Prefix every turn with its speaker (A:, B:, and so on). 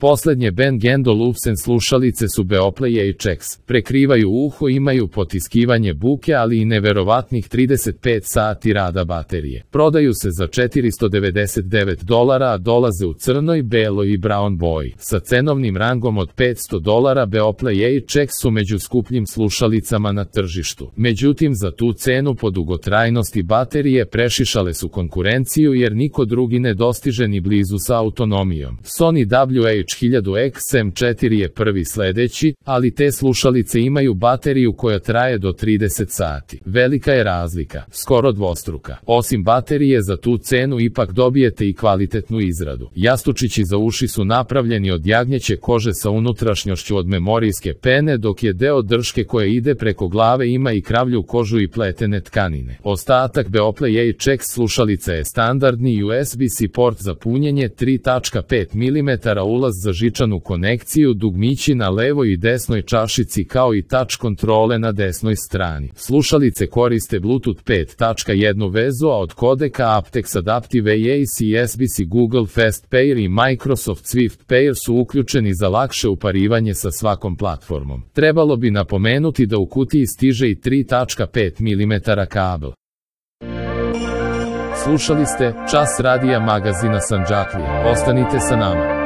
A: Poslednje Bang & Olufsen slušalice su Beoplay HX. Prekrivaju uho, imaju potiskivanje buke, ali i neverovatnih 35 sati rada baterije. Prodaju se za $499, a dolaze u crnoj, beloj i brown boji. Sa cenovnim rangom od $500, Beoplay HX su među skupljim slušalicama na tržištu. Međutim, za tu cenu po dugotrajnosti baterije prešišale su konkurenciju, jer niko drugi ne dostiže ni blizu sa autonomijom. Sony WH-1000XM4 je prvi sledeći, ali te slušalice imaju bateriju koja traje do 30 sati. Velika je razlika, skoro dvostruka. Osim baterije, za tu cenu ipak dobijete i kvalitetnu izradu. Jastučići za uši su napravljeni od jagnjeće kože sa unutrašnjošću od memorijske pene, dok je deo drške koja ide preko glave ima i kravlju kožu i pletene tkanine. Ostatak Beoplay HX slušalica je standardni USB-C port za punjenje, 3.5 mm ulaz za žičanu konekciju, dugmići na levoj i desnoj čašici kao i touch kontrole na desnoj strani. Slušalice koriste Bluetooth 5.1 vezu, a od kodeka aptX Adaptive AAC, USB-C, Google Fast Pair i Microsoft Swift Pair su uključeni za lakše uparivanje sa svakom platformom. Trebalo bi napomenuti da u kutiji stiže i 3.5 mm kabel. Slušali ste Čas radija magazina Sandžaklija. Ostanite sa nama.